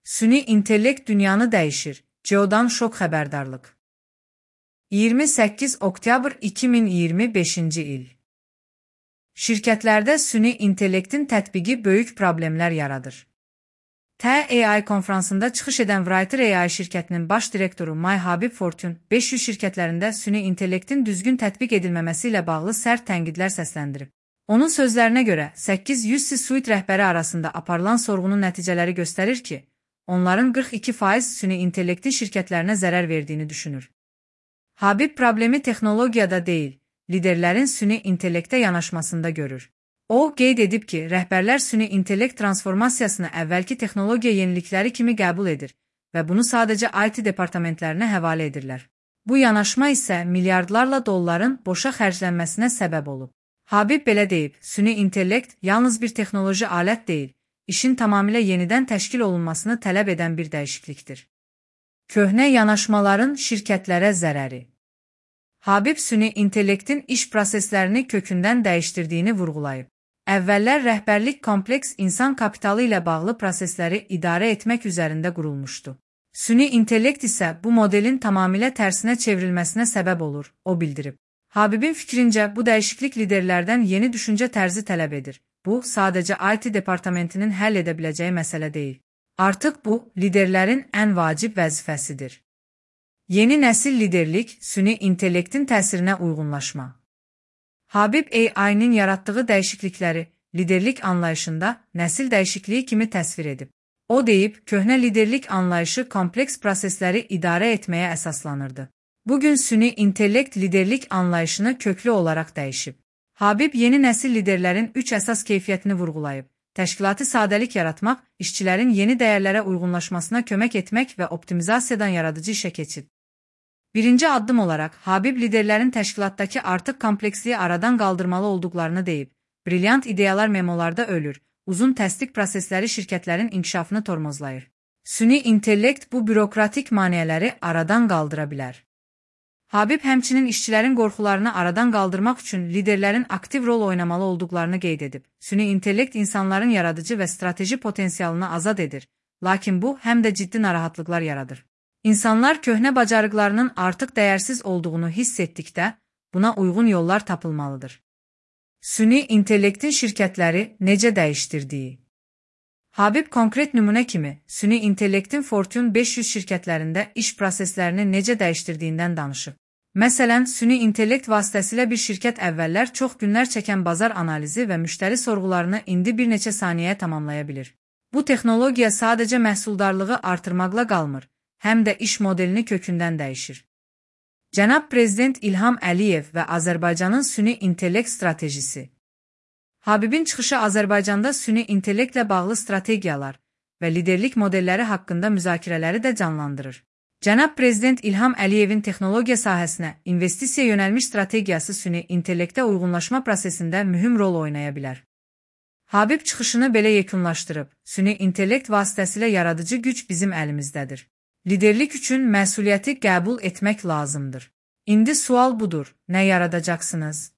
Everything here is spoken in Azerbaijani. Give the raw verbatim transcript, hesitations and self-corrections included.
Süni intellekt dünyanı dəyişir. Geodan şok xəbərdarlıq. iyirmi səkkiz oktyabr iki min iyirmi beşinci il. Şirkətlərdə süni intellektin tətbiqi böyük problemlər yaradır. T A I konfransında çıxış edən Writer A I şirkətinin baş direktoru May Habib Fortune beş yüz şirkətlərində süni intellektin düzgün tətbiq edilməməsi ilə bağlı sərt tənqidlər səsləndirib. Onun sözlərinə görə səkkiz yüz C-suite rəhbəri arasında aparılan sorğunun nəticələri göstərir ki, onların qırx iki faiz süni intellektin şirkətlərinə zərər verdiyini düşünür. Habib problemi texnologiyada deyil, liderlərin süni intellektə yanaşmasında görür. O, qeyd edib ki, rəhbərlər süni intellekt transformasiyasını əvvəlki texnologiya yenilikləri kimi qəbul edir və bunu sadəcə I T departamentlərinə həvalə edirlər. Bu yanaşma isə milyardlarla dolların boşa xərclənməsinə səbəb olub. Habib belə deyib, süni intellekt yalnız bir texnoloji alət deyil, işin tamamilə yenidən təşkil olunmasını tələb edən bir dəyişiklikdir. Köhnə yanaşmaların şirkətlərə zərəri. Habib süni intellektin iş proseslərini kökündən dəyişdirdiyini vurğulayıb. Əvvəllər rəhbərlik kompleks insan kapitalı ilə bağlı prosesləri idarə etmək üzərində qurulmuşdu. Süni intellekt isə bu modelin tamamilə tərsinə çevrilməsinə səbəb olur, o bildirib. Habibin fikrincə, bu dəyişiklik liderlərdən yeni düşüncə tərzi tələb edir. Bu, sadəcə I T departamentinin həll edə biləcəyi məsələ deyil. Artıq bu, liderlərin ən vacib vəzifəsidir. Yeni nəsil liderlik, süni intellektin təsirinə uyğunlaşma. Habib A I-nin yaratdığı dəyişiklikləri liderlik anlayışında nəsil dəyişikliyi kimi təsvir edib. O deyib, köhnə liderlik anlayışı kompleks prosesləri idarə etməyə əsaslanırdı. Bugün süni intellekt liderlik anlayışını köklü olaraq dəyişib. Habib yeni nəsil liderlərin üç əsas keyfiyyətini vurğulayıb. Təşkilati sadəlik yaratmaq, işçilərin yeni dəyərlərə uyğunlaşmasına kömək etmək və optimizasiyadan yaradıcı işə keçid. Birinci addım olaraq, Habib liderlərin təşkilatdakı artıq kompleksliyi aradan qaldırmalı olduqlarını deyib. Brilyant ideyalar memolarda ölür, uzun təsdiq prosesləri şirkətlərin inkişafını tormozlayır. Süni intellekt bu bürokratik maneələri aradan qaldıra bilər. Habib həmçinin işçilərin qorxularını aradan qaldırmaq üçün liderlərin aktiv rol oynamalı olduqlarını qeyd edib. Süni intellekt insanların yaradıcı və strateji potensialını azad edir, lakin bu həm də ciddi narahatlıqlar yaradır. İnsanlar köhnə bacarıqlarının artıq dəyərsiz olduğunu hiss etdikdə, buna uyğun yollar tapılmalıdır. Süni intellektin şirkətləri necə dəyişdirdiyi. Habib konkret nümunə kimi, süni intellektin Fortune beş yüz şirkətlərində iş proseslərini necə dəyişdirdiyindən danışıb. Məsələn, süni intellekt vasitəsilə bir şirkət əvvəllər çox günlər çəkən bazar analizi və müştəri sorğularını indi bir neçə saniyəyə tamamlaya bilir. Bu texnologiya sadəcə məhsuldarlığı artırmaqla qalmır, həm də iş modelini kökündən dəyişir. Cənab Prezident İlham Əliyev və Azərbaycanın süni intellekt stratejisi. Habibin çıxışı Azərbaycanda süni intellektlə bağlı strategiyalar və liderlik modelləri haqqında müzakirələri də canlandırır. Cənab Prezident İlham Əliyevin texnologiya sahəsinə investisiya yönəlmiş strategiyası süni intellektə uyğunlaşma prosesində mühüm rol oynaya bilər. Habib çıxışını belə yekunlaşdırıb, süni intellekt vasitəsilə yaradıcı güc bizim əlimizdədir. Liderlik üçün məsuliyyəti qəbul etmək lazımdır. İndi sual budur, nə yaradacaqsınız?